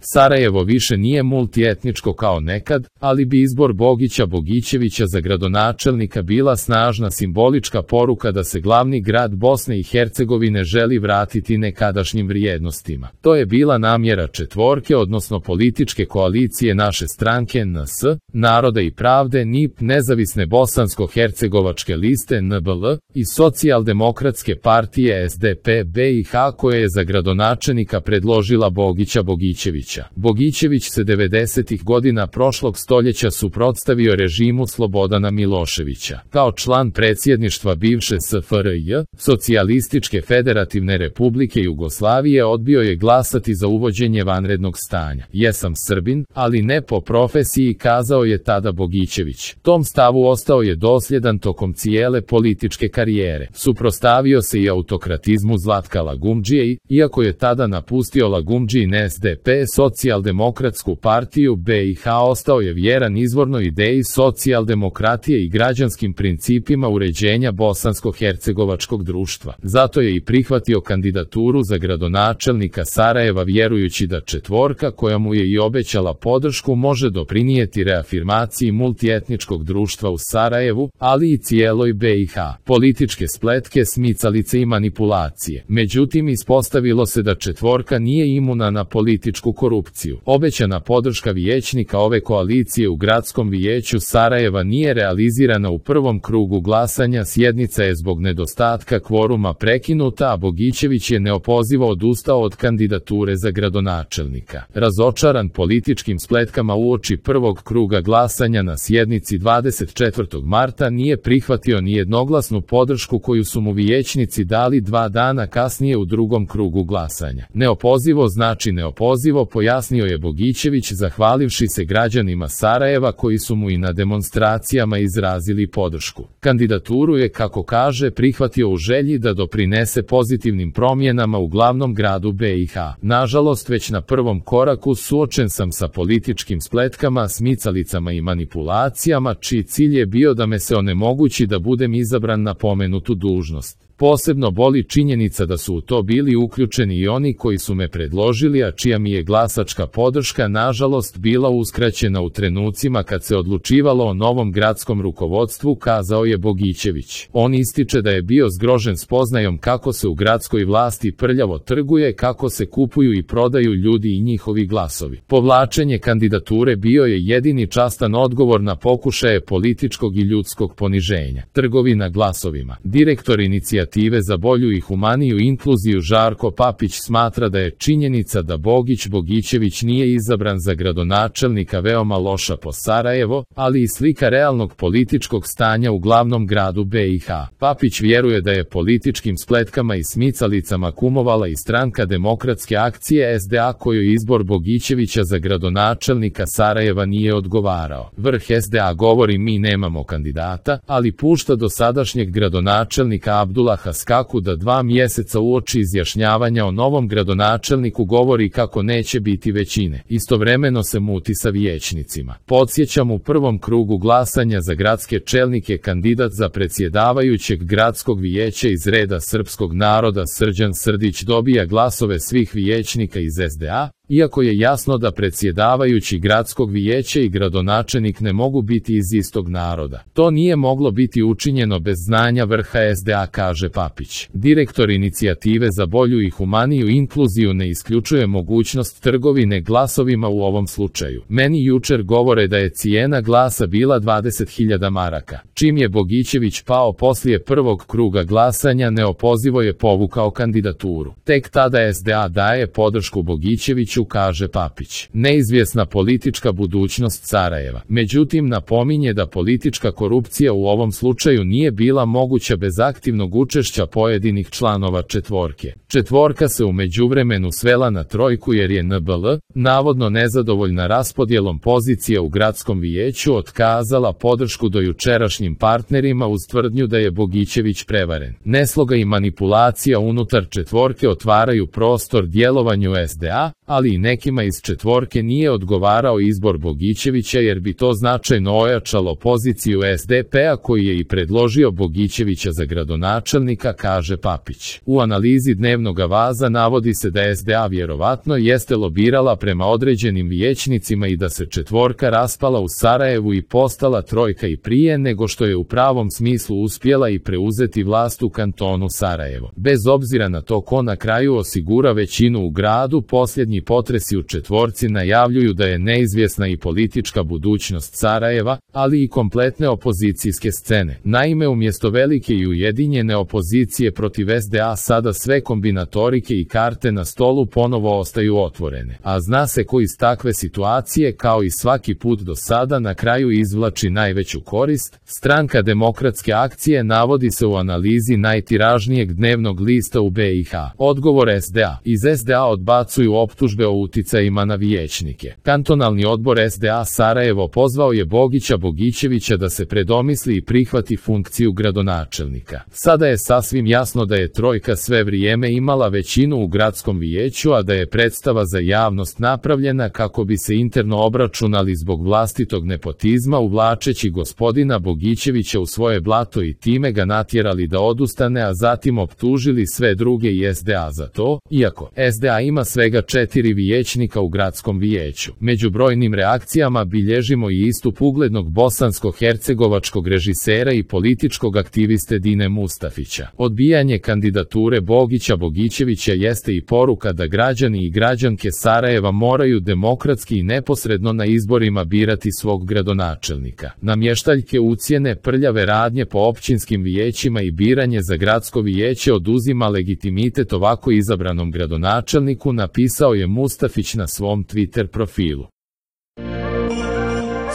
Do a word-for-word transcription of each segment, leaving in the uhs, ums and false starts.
Sarajevo više nije multietničko kao nekad, ali bi izbor Bogića Bogićevića za gradonačelnika bila snažna simbolička poruka da se glavni grad Bosne i Hercegovine želi vratiti nekadašnjim vrijednostima. To je bila namjera četvorke, odnosno političke koalicije naše stranke N S, Naroda i pravde, N I P, Nezavisne bosansko-hercegovačke liste N B L i Socijaldemokratske partije S D P B i H, koje je za gradonačelnika predložila Bogića Bogićevića. Bogićević se devedesetih godina prošlog stoljeća suprotstavio režimu Slobodana Miloševića. Kao član predsjedništva bivše S F R J, Socijalističke federativne republike Jugoslavije, odbio je glasati za uvođenje vanrednog stanja. Jesam Srbin, ali ne po profesiji, kazao je tada Bogićević. Tom stavu ostao je dosljedan tokom cijele političke karijere. Suprotstavio se i autokratizmu Zlatka Lagumdžije i, iako je tada napustio Lagumdžijin S D P, Socijaldemokratsku partiju B i H, ostao je vjeran izvornoj ideji socijaldemokratije i građanskim principima uređenja bosansko-hercegovačkog društva. Zato je i prihvatio kandidaturu za gradonačelnika Sarajeva, vjerujući da četvorka, koja mu je i obećala podršku, može doprinijeti reafirmaciji multietničkog društva u Sarajevu, ali i cijeloj B i H. Političke spletke, smicalice i manipulacije. Međutim, ispostavilo se da četvorka nije imuna na političku korupciju. Obećana podrška vijećnika ove koalicije u gradskom vijeću Sarajeva nije realizirana u prvom krugu glasanja, sjednica je zbog nedostatka kvoruma prekinuta, a Bogićević je neopozivo odustao od kandidature za gradonačelnika. Razočaran političkim spletkama uoči prvog kruga glasanja na sjednici dvadeset četvrtog marta, nije prihvatio ni jednoglasnu podršku koju su mu vijećnici dali dva dana kasnije u drugom krugu glasanja. Neopozivo znači neopozivo, pojasnio je Bogićević, zahvalivši se građanima Sarajeva koji su mu i na demonstracijama izrazili podršku. Kandidaturu je, kako kaže, prihvatio u želji da doprinese pozitivnim promjenama u glavnom gradu B i H. Nažalost, već na prvom koraku suočen sam sa političkim spletkama, smicalicama i manipulacijama, čiji cilj je bio da me se onemogući da budem izabran na pomenutu dužnost. Posebno boli činjenica da su u to bili uključeni i oni koji su me predložili, a čija mi je glasačka podrška nažalost bila uskraćena u trenucima kad se odlučivalo o novom gradskom rukovodstvu, kazao je Bogićević. On ističe da je bio zgrožen spoznajom kako se u gradskoj vlasti prljavo trguje, kako se kupuju i prodaju ljudi i njihovi glasovi. Povlačenje kandidature bio je jedini častan odgovor na pokušaje političkog i ljudskog poniženja. Trgovina glasovima. Direktor inicijative za bolju i humaniju inkluziju Žarko Papić smatra da je činjenica da Bogić Bogićević nije izabran za gradonačelnika veoma loša po Sarajevo, ali i slika realnog političkog stanja u glavnom gradu B i H. Papić vjeruje da je političkim spletkama i smicalicama kumovala i stranka Demokratske akcije S D A, kojoj izbor Bogićevića za gradonačelnika Sarajeva nije odgovarao. Vrh S D A govori: mi nemamo kandidata, ali pušta dosadašnjeg gradonačelnika Abdullaha Skaku da dva mjeseca uoči izjašnjavanja o novom gradonačelniku govori kako neće biti većine. Istovremeno se muti sa vijećnicima. Podsjećam, u prvom krugu glasanja za gradske čelnike kandidat za predsjedavajućeg gradskog vijeća iz reda srpskog naroda Srđan Srdić dobija glasove svih vijećnika iz S D A, iako je jasno da predsjedavajući gradskog vijeća i gradonačelnik ne mogu biti iz istog naroda. To nije moglo biti učinjeno bez znanja vrha S D A, kaže Papić. Direktor inicijative za bolju i humaniju inkluziju ne isključuje mogućnost trgovine glasovima u ovom slučaju. Meni jučer govore da je cijena glasa bila dvadeset hiljada maraka. Čim je Bogićević pao poslije prvog kruga glasanja, neopozivo je povukao kandidaturu. Tek tada S D A daje podršku Bogićeviću, kaže Papić. Neizvjesna politička budućnost Sarajeva. Međutim, napominje da politička korupcija u ovom slučaju nije bila moguća bez aktivnog učešća pojedinih članova četvorke. Četvorka se u međuvremenu svela na trojku jer je N B L, navodno nezadovoljna raspodjelom pozicija u gradskom vijeću, otkazala podršku dojučerašnjim partnerima uz tvrdnju da je Bogićević prevaren. Nesloga i manipulacija unutar četvorke otvaraju prostor djelovanju S D A, ali ali i nekima iz četvorke nije odgovarao izbor Bogićevića jer bi to značajno ojačalo poziciju es de pe-a koji je i predložio Bogićevića za gradonačelnika, kaže Papić. U analizi Dnevnog avaza navodi se da es de a vjerovatno jeste lobirala prema određenim vijećnicima i da se četvorka raspala u Sarajevu i postala trojka i prije nego što je u pravom smislu uspjela i preuzeti vlast u kantonu Sarajevo. Bez obzira na to ko na kraju osigura većinu u gradu, posljednji potresi u četvorci najavljuju da je neizvjesna i politička budućnost Sarajeva, ali i kompletne opozicijske scene. Naime, umjesto velike i ujedinjene opozicije protiv es de a sada sve kombinatorike i karte na stolu ponovo ostaju otvorene. A zna se ko iz takve situacije, kao i svaki put do sada, na kraju izvlači najveću korist. Stranka Demokratske akcije navodi se u analizi najtiražnijeg dnevnog lista u be i ha. Odgovor es de a. Iz es de a odbacuju optužbe o uticajima na vijećnike. Kantonalni odbor es de a Sarajevo pozvao je Bogića Bogićevića da se predomisli i prihvati funkciju gradonačelnika. Sada je sasvim jasno da je trojka sve vrijeme imala većinu u gradskom vijeću, a da je predstava za javnost napravljena kako bi se interno obračunali zbog vlastitog nepotizma, uvlačeći gospodina Bogićevića u svoje blato i time ga natjerali da odustane, a zatim optužili sve druge i es de a za to, iako es de a ima svega četiri vijećnika u gradskom vijeću. Među brojnim reakcijama bilježimo i istup uglednog bosansko-hercegovačkog režisera i političkog aktiviste Dine Mustafića. Odbijanje kandidature Bogića Bogićevića jeste i poruka da građani i građanke Sarajeva moraju demokratski i neposredno na izborima birati svog gradonačelnika. Namještaljke ucjene, prljave radnje po općinskim vijećima i biranje za gradsko vijeće oduzima legitimitet ovako izabranom gradonačelniku, napisao je Mustafić na svom Twitter profilu.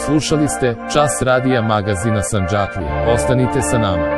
Slušali ste Čas radija magazina Sandžaklija. Ostanite sa nama.